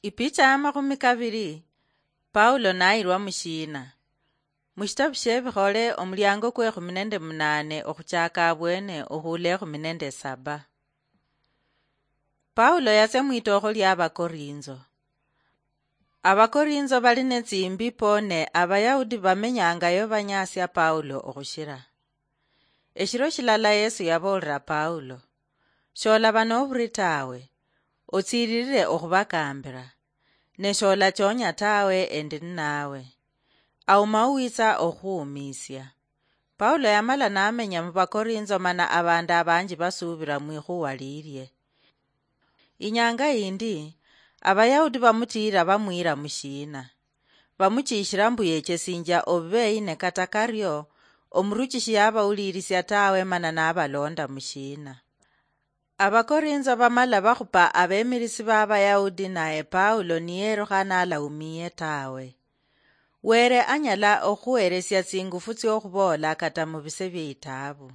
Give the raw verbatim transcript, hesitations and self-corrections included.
Ipicha ya makhumi kabiri. Paulo nayirwa mushiina? Mushitabu shie Bikhole, omuliango kwe ekhumi nende munane okhuchaka abwene okhuula ekhumi nende saba. Paulo yatsia mwitookho lia Abakorinzo. Abakorinzo bali netsimbi po, ne Abayahudi bamenyangayo banyasia Paulo okhushira. Eshiro shilala Yesu yaboolera Paulo, "Sholaba noburi tawe, otsiririre okhubakambira, ne sholachonya tawe, endi ninawe. Auma owitsa okhuhumiisia." Paulo yamala namenya mubakorinzo, mana abandu abanji basuubira mwikhuwa lilie. Inyanga yindi, Abayahudi bamutiira bamwiira mushiina. Bamuchiishira mbu yechesinjia obubeyi, ne kata kario, omuruchishi yabawulirisia tawe, mana nabalonda mushiina. Abakorinzo bamala bakhupa abemirisi ba Abayahudi, naye Paulo niyerukha nalaumiye tawe. Were anyala okhuheresia tsingufu tsiokhubola kata mubise bie itaabu.